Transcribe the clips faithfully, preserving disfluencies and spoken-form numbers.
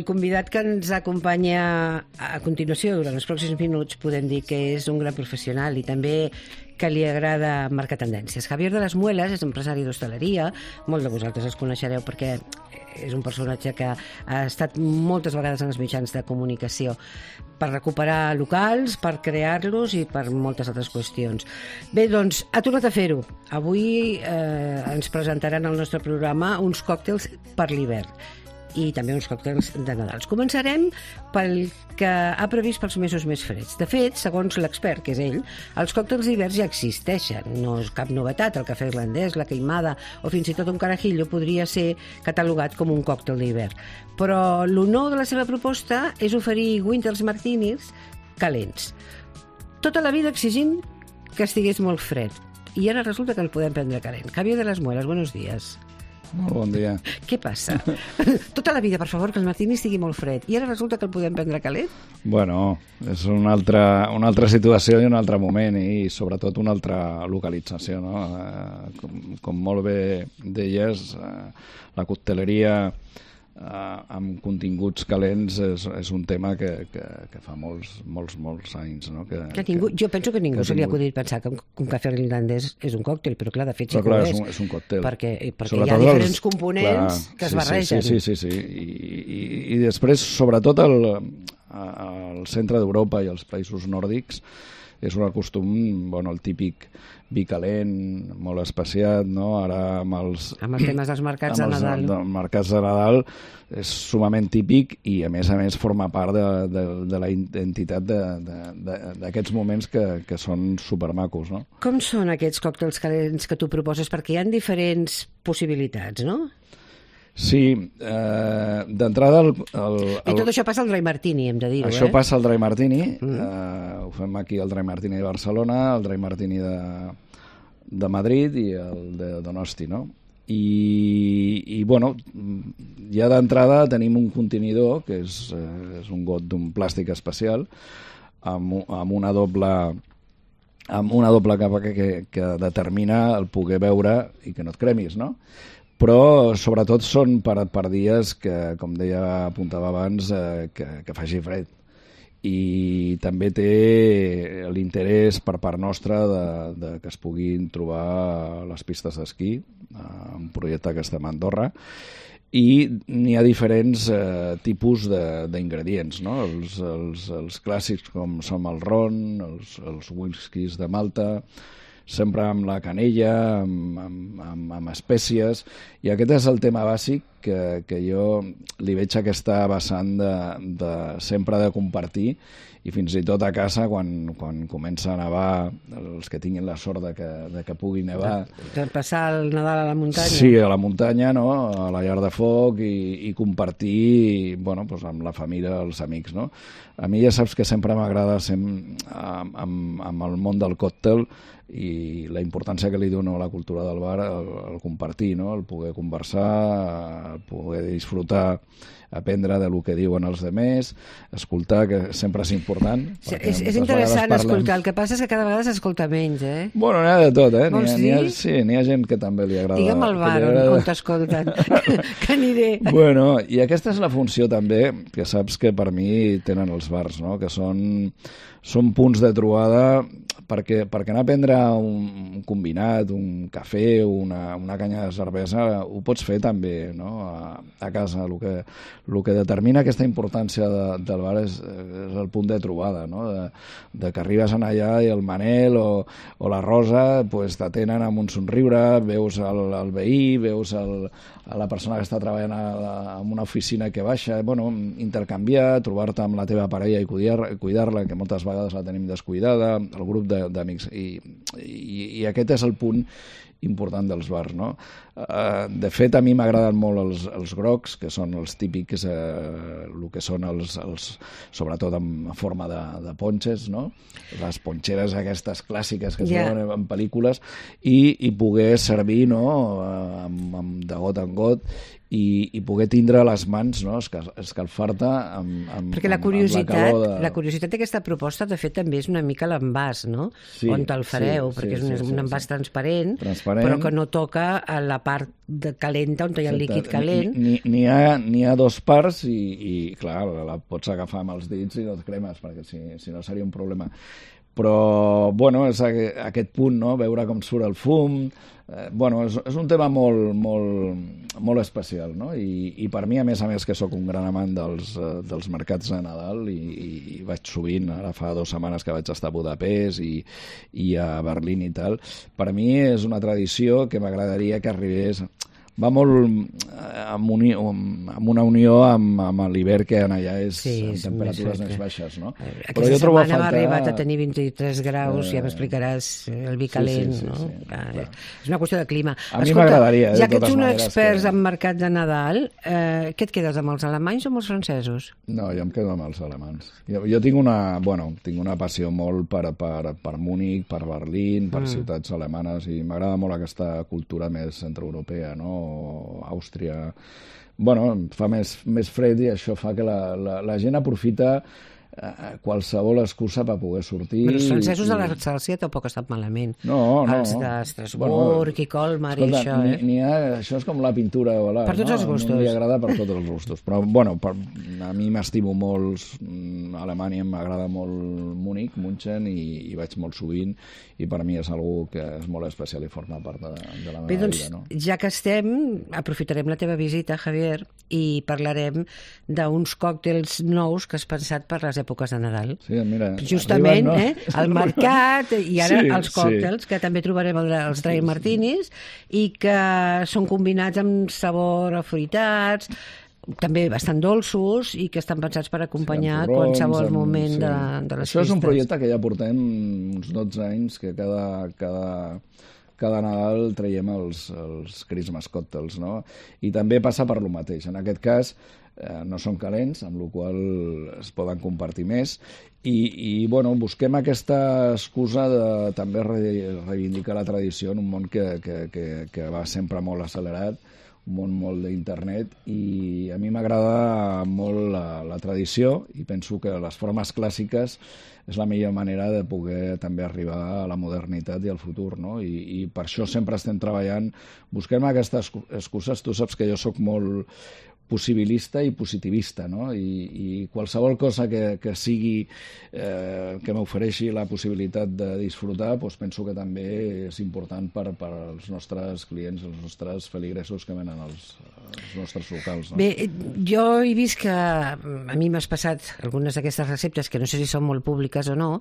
el convidat que ens acompanya a continuació durant els pròxims minuts podem dir que és un gran professional i també que li agrada marcar tendències. Javier de las Muelas és empresari d'hostaleria, molts de vosaltres els coneixereu perquè és un personatge que ha estat moltes vegades en els mitjans de comunicació per recuperar locals, per crear-los i per moltes altres qüestions. Bé, doncs, ha tornat a fer-ho. Avui eh, ens presentaran al nostre programa uns còctels per l'hivern i també uns còctels de Nadal. Començarem pel que ha previst pels mesos més freds. De fet, segons l'expert, que és ell, els còctels d'hivern ja existeixen. No és cap novetat. El cafè irlandès, la queimada o fins i tot un carajillo podria ser catalogat com un còctel d'hivern. Però el nou de la seva proposta és oferir Winter's Martinis calents. Tota la vida exigint que estigués molt fred. I ara resulta que el podem prendre calent. Javier de las Muelas, buenos días. Molt bon dia. Què passa? Tota la vida, per favor, que el martini estigui molt fred. I ara resulta que el podem prendre calent? Bueno, és una altra, una altra situació i un altre moment i sobretot una altra localització, no? Eh, com, com molt bé deies, eh, la cocteleria eh, amb continguts calents és, és un tema que, que, que fa molts, molts, molts anys, no? Que, que ningú, jo penso que ningú que se li ha acudit pensar que un, un cafè irlandès és un còctel, però clar, de fet sí però, clar, que ho és. És un, és un còctel. Perquè, perquè sobretot hi ha diferents els, components clar, que es sí, barregen. Sí, sí, sí, sí. I, i, i després, sobretot, el, al centre d'Europa i els països nòrdics, és un costum, bueno, el típic vi calent, molt especiat, no? Ara amb els... Amb els temes dels mercats de Nadal. Amb els mercats de Nadal és sumament típic i, a més a més, forma part de, de, de la identitat d'aquests moments que, que són supermacos, no? Com són aquests còctels calents que tu proposes? Perquè hi ha diferents possibilitats, no? Sí, eh, d'entrada... El, el, I tot això passa al Dry Martini, hem de dir-ho, això eh? passa al Dry Martini, mm. eh, ho fem aquí al Dry Martini de Barcelona, el Dry Martini de, de Madrid i el de Donosti, no? I, i bueno, ja d'entrada tenim un contenidor, que és, eh, és un got d'un plàstic especial, amb, amb una doble... amb una doble capa que, que, que determina el poder beure i que no et cremis, no? Però sobretot són per, per dies que, com deia, apuntava abans, eh, que, que faci fred. I també té l'interès per part nostra de, de que es puguin trobar les pistes d'esquí, eh, un projecte que estem a Andorra, i n'hi ha diferents eh, tipus d'ingredients, no? Els, els, els clàssics com són el ron, els, els whiskies de Malta, sempre amb la canella, amb, amb, amb, amb espècies, i aquest és el tema bàsic que, que jo li veig aquesta vessant de, de sempre de compartir, i fins i tot a casa, quan, quan comença a nevar, els que tinguin la sort de que, de que pugui nevar... Per passar el Nadal a la muntanya. Sí, a la muntanya, no? A la llar de foc i, i compartir, bueno, doncs amb la família, els amics, no? A mi ja saps que sempre m'agrada amb, amb, amb el món del còctel i la importància que li dono a la cultura del bar, el, el compartir, no? El poder conversar, el poder disfrutar, aprendre de lo que diuen els demés, escoltar, que sempre és important. Sí, és, és interessant escoltar, el que passa és que cada vegada s'escolta menys, eh? Bueno, n'hi ha de tot, eh? Vols N'hi ha, dir? ha, sí, n'hi ha gent que també li agrada. Digue'm al bar on, on t'escolten, que aniré. Bueno, i aquesta és la funció també, que saps que per mi tenen els bars, no? Que són, són punts de trobada perquè, perquè anar a prendre un combinat, un cafè, una, una canya de cervesa, ho pots fer també, no? a, a casa. El que, el que determina aquesta importància de, del bar és, és el punt de trobada, no? de, de que arribes en allà i el Manel o, o la Rosa pues, t'atenen amb un somriure, veus el, el veí, veus el, a la persona que està treballant a, a, en una oficina que baixa, bueno, intercanviar, trobar-te amb la teva parella i cuidar-la, cuidar que moltes vegades la tenim descuidada, el grup de d'amics, I, i, i aquest és el punt important dels bars, no? Uh, de fet, a mi m'agraden molt els, els grocs, que són els típics, eh, el que són els, els sobretot en forma de, de ponxes, no? Les ponxeres aquestes clàssiques que es yeah. veuen en pel·lícules, i, i poder servir, no? amb, amb, de got en got, i, i poder tindre a les mans, no? escalfar-te amb, amb, perquè la amb, curiositat, amb la calor de... la curiositat d'aquesta proposta de fet també és una mica l'envàs, no? Sí, on te'l fareu, sí, perquè sí, és un, sí, sí, un envàs sí. transparent, transparent diferent. però que no toca a la part de calenta on hi ha el líquid calent. N'hi ni, ha, ni ha dos parts i, i clar, la pots agafar amb els dits i no et cremes, perquè si, si no seria un problema. Però, bueno, és aquest punt, no?, veure com surt el fum. Eh, bueno, és, és un tema molt, molt, molt especial, no? I, i per mi, a més a més, que sóc un gran amant dels, dels mercats de Nadal i, i, i vaig sovint, ara fa dues setmanes que vaig estar a Budapest i, i a Berlín i tal, per mi és una tradició que m'agradaria que arribés... Va molt amb, uni, amb una unió amb, amb l'hivern que allà és sí, amb temperatures més, més baixes, no? Aquesta Però jo setmana faltar... ha arribat a tenir vint-i-tres graus, eh... ja m'explicaràs el vi calent, sí, sí, sí, no? Sí, clar, clar. És una qüestió de clima. A mi m'agradaria, ja que ets un maneres, expert que... en mercat de Nadal, eh, què et quedes, amb els alemanys o amb els francesos? No, jo em quedo amb els alemans. Jo, jo tinc una, bueno, tinc una passió molt per, per, per Múnich, per Berlín, per mm. ciutats alemanes, i m'agrada molt aquesta cultura més centroeuropea, no? O Àustria. Bueno, fa més, més fred i això fa que la, la, la gent aprofita eh, qualsevol excusa per poder sortir. Però els francesos i... de l'Alsàcia tampoc estan malament. No, no. Els d'Estrasburg bueno, i Colmar i això, eh? Ni, ni ha, això és com la pintura. Voilà, per tots no? els gustos. No li agrada per tots els gustos. Però, bueno, per, a mi m'estimo molt Alemanya, m'agrada molt Múnich, München, i, i vaig molt sovint, i per mi és algú que és molt especial i forma part de, de la meva Bé, doncs, vida. No? Ja que estem, aprofitarem la teva visita, Javier, i parlarem d'uns còctels nous que has pensat per les èpoques de Nadal. Sí, mira, justament, arriben, no? eh, al mercat, i ara sí, els còctels, sí. que també trobarem els dry martinis, i que són combinats amb sabor afruitats, també bastant dolços, i que estan pensats per acompanyar sí, porrons, qualsevol amb, moment sí. de, de les Això festes. és un projecte que ja portem uns dotze anys, que cada, cada, cada Nadal traiem els, els Christmas cocktails, no? I també passa per lo mateix. En aquest cas, eh, no són calents, amb la qual es poden compartir més, i, i bueno, busquem aquesta excusa de també reivindicar la tradició en un món que, que, que, que va sempre molt accelerat, un món molt d'internet, i a mi m'agrada molt la, la tradició, i penso que les formes clàssiques és la millor manera de poder també arribar a la modernitat i al futur, no? I, i per això sempre estem treballant, busquem aquestes excuses. Tu saps que jo sóc molt possibilista i positivista, no? I, i qualsevol cosa que, que sigui eh, que m'ofereixi la possibilitat de disfrutar, doncs penso que també és important per, per als nostres clients, els nostres feligresos que venen als, als nostres locals. No? Bé, jo he vist que a mi m'has passat algunes d'aquestes receptes, que no sé si són molt públiques o no,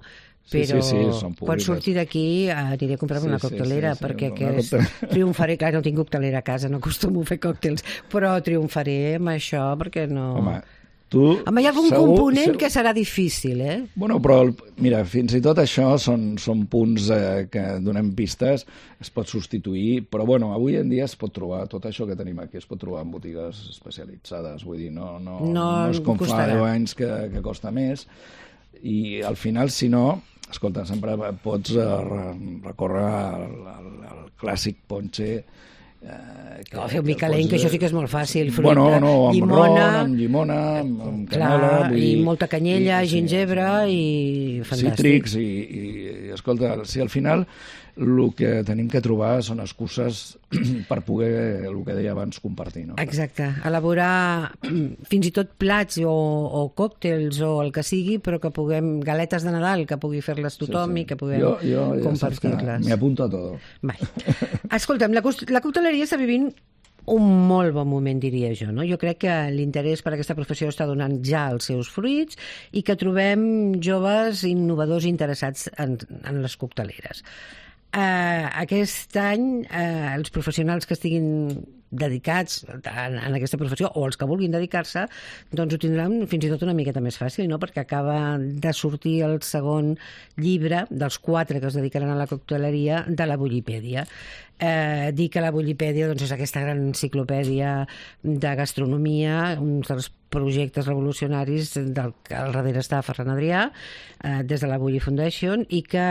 però sí, sí, sí, són quan surti d'aquí aniré a comprar-me sí, una coctelera, sí, sí, perquè sí, aquest coctel... triomfaré, clar, no tinc coctelera a casa, no acostumo a fer còctels, però triomfaré amb això, perquè no... Home, tu... Home, hi ha algun segur, component segur... que serà difícil, eh? Bueno, però, mira, fins i tot això són, són punts eh, que donem pistes, es pot substituir, però, bueno, avui en dia es pot trobar, tot això que tenim aquí, es pot trobar en botigues especialitzades, vull dir, no, no, no, no és com costarà. Fa deu anys que, que costa més, i al final, si no, escolta, sempre pots uh, recórrer al, al, al clàssic ponche. Eh, que, no, fer un vi calent, pots... que això sí que és molt fàcil. Fruita, bueno, no, amb llimona, ron, amb llimona, amb, amb canela... Clar, vull i dir, molta canyella, i, gingebre sí, i fantàstic. Cítrics i, i, i, escolta, si al final el que tenim que trobar són excuses per poder, el que deia abans, compartir. No? Exacte, elaborar fins i tot plats o, o còctels o el que sigui, però que puguem, galetes de Nadal, que pugui fer-les tothom, sí, sí. I que puguem compartir-les. M'hi apunto a tot. Escolta'm, la, la cocteleria està vivint un molt bon moment, diria jo. No? Jo crec que l'interès per aquesta professió està donant ja els seus fruits i que trobem joves innovadors interessats en, en les cocteleres. Uh, aquest any uh, els professionals que estiguin dedicats en, en aquesta professió o els que vulguin dedicar-se, doncs ho tindran fins i tot una miqueta més fàcil, no? Perquè acaba de sortir el segon llibre dels quatre que es dedicaran a la cocteleria de la Bullipèdia. Eh, dir que la Bullipèdia doncs, és aquesta gran enciclopèdia de gastronomia, un dels projectes revolucionaris del que al darrere està Ferran Adrià, eh, des de la Bulli Foundation, i que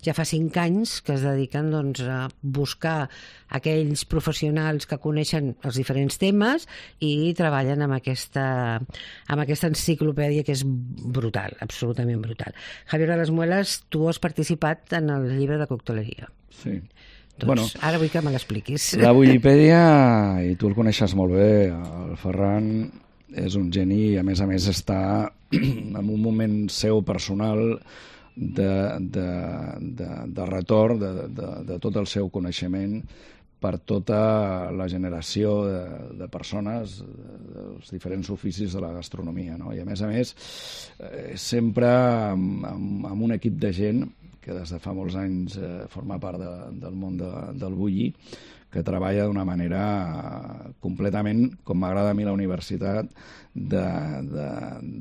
ja fa cinc anys que es dediquen doncs, a buscar aquells professionals que coneixen els diferents temes i treballen amb aquesta, amb aquesta enciclopèdia que és brutal, absolutament brutal. Javier de las Muelas, tu has participat en el llibre de cocteleria. Sí. Doncs Bueno, ara vull que me l'expliquis. La Wikipedia, i tu el coneixes molt bé, el Ferran és un geni i a més a més està en un moment seu personal de, de, de, de retorn de, de, de tot el seu coneixement per tota la generació de, de persones dels diferents oficis de la gastronomia, no? I a més a més eh, sempre amb, amb, amb un equip de gent que des de fa molts anys eh, forma part de, del món de, del bulli, que treballa d'una manera completament, com m'agrada a mi la universitat, de, de,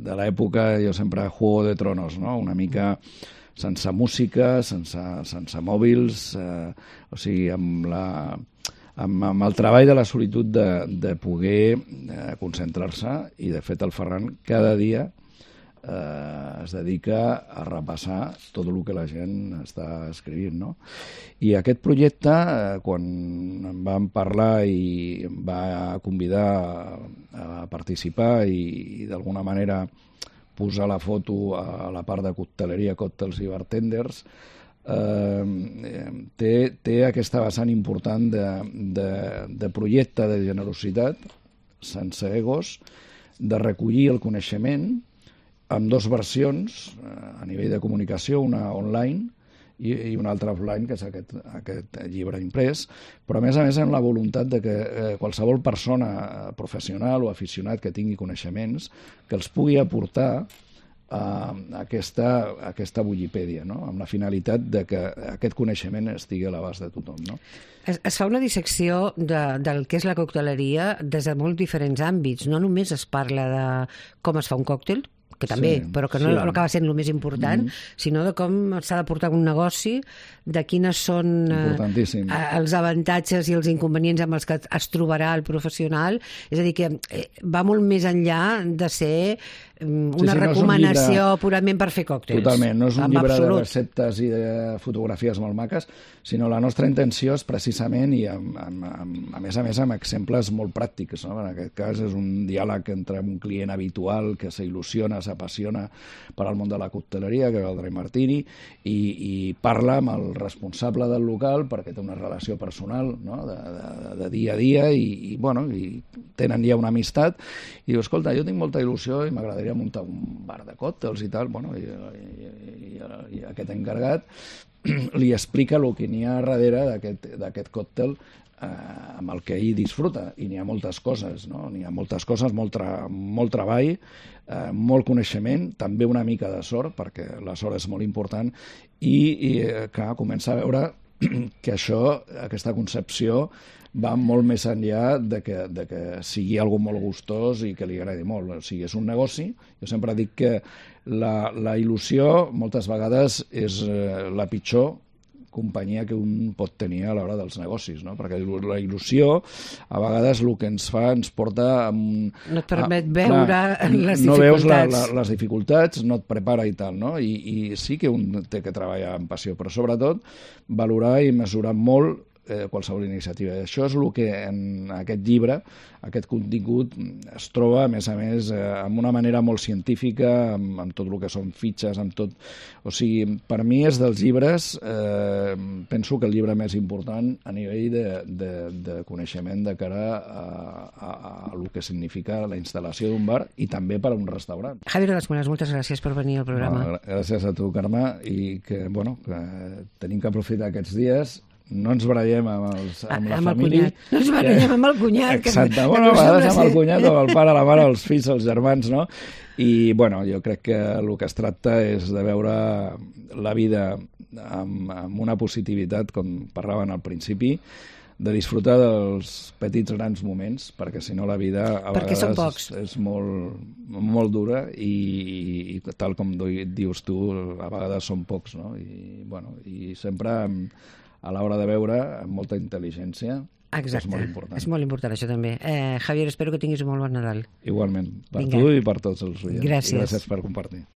de l'època, jo sempre Juego de Tronos, no? Una mica sense música, sense, sense mòbils, eh, o sigui, amb, la, amb, amb el treball de la solitud de, de poder eh, concentrar-se, i de fet el Ferran cada dia eh, es dedica a repassar tot el que la gent està escrivint, no? I aquest projecte, eh, quan em van parlar i em va convidar a, a participar i, i d'alguna manera posar la foto a la part de cocteleria, còctels i bartenders, eh, té, té aquesta vessant important de, de, de projecte de generositat, sense egos, de recollir el coneixement amb dues versions a nivell de comunicació, una online i, i una altra offline, que és aquest, aquest llibre imprès, però a més a més amb la voluntat de que eh, qualsevol persona professional o aficionat que tingui coneixements que els pugui aportar a aquesta, a aquesta Wikipedia, no? Amb la finalitat de que aquest coneixement estigui a l'abast de tothom, no? Es, es fa una dissecció de, del que és la cocteleria des de molts diferents àmbits. No només es parla de com es fa un còctel, que també, sí, però que no, sí. no acaba sent el més important, mm. sinó de com s'ha de portar un negoci, de quines són eh, els avantatges i els inconvenients amb els que es trobarà el professional. És a dir, que eh, va molt més enllà de ser um, una sí, sí, recomanació no llibre... purament per fer còctels. Totalment, no és un llibre absolut. de receptes i de fotografies molt maques, sinó la nostra intenció és precisament, i amb, amb, amb, a més a més amb exemples molt pràctics, no? En aquest cas és un diàleg entre un client habitual que s'il·lusiona, s'apassiona per al món de la cocteleria, que és el Dry Martini, i, i parla amb el responsable del local perquè té una relació personal, no? de, de, de dia a dia, i, i, bueno, i tenen ja una amistat, i diu, escolta, jo tinc molta il·lusió i m'agradaria muntar un bar de còctels i tal, bueno, i, i, i, i aquest encarregat li explica el que n'hi ha darrere d'aquest còctel eh, amb el que ell disfruta, i n'hi ha moltes coses, no? N'hi ha moltes coses, molt, tra molt treball, eh, molt coneixement, també una mica de sort, perquè la sort és molt important, i, i clar, comença a veure que això, aquesta concepció, va molt més enllà de que, de que sigui algo molt gustós i que li agradi molt. O sigui, és un negoci. Jo sempre dic que la, la il·lusió moltes vegades és eh, la pitjor companyia que un pot tenir a l'hora dels negocis, no? Perquè la il·lusió a vegades el que ens fa ens porta amb... No et permet a, veure clar, les no dificultats. veus la, la, les dificultats, no et prepara i tal, no? I, i sí que un té que treballar amb passió, però sobretot valorar i mesurar molt eh, qualsevol iniciativa. I això és el que en aquest llibre, aquest contingut, es troba, a més a més, eh, amb una manera molt científica, amb, amb tot el que són fitxes, amb tot... O sigui, per mi és dels llibres, eh, penso que el llibre més important a nivell de, de, de coneixement de cara a, a, a, a el que significa la instal·lació d'un bar i també per a un restaurant. Javier de las Muelas, moltes gràcies per venir al programa. No, gràcies a tu, Carme, i que, bueno, que tenim que aprofitar aquests dies. No ens barallem amb, els, amb la amb família. No ens barallem amb el cunyat. Exacte, que, bueno, que a vegades amb el cunyat, amb el pare, la mare, els fills, els germans, no? I, bueno, jo crec que el que es tracta és de veure la vida amb, amb una positivitat, com parlaven al principi, de disfrutar dels petits grans moments, perquè si no la vida a perquè vegades és, és molt, molt dura i, i tal com dius tu, a vegades són pocs, no? I, bueno, i sempre a l'hora de veure amb molta intel·ligència. Exacte, és molt important. És molt important això també. Eh, Javier, espero que tinguis un molt bon Nadal. Igualment, per Vinga. tu i per tots els oients. Gràcies. Gràcies per compartir.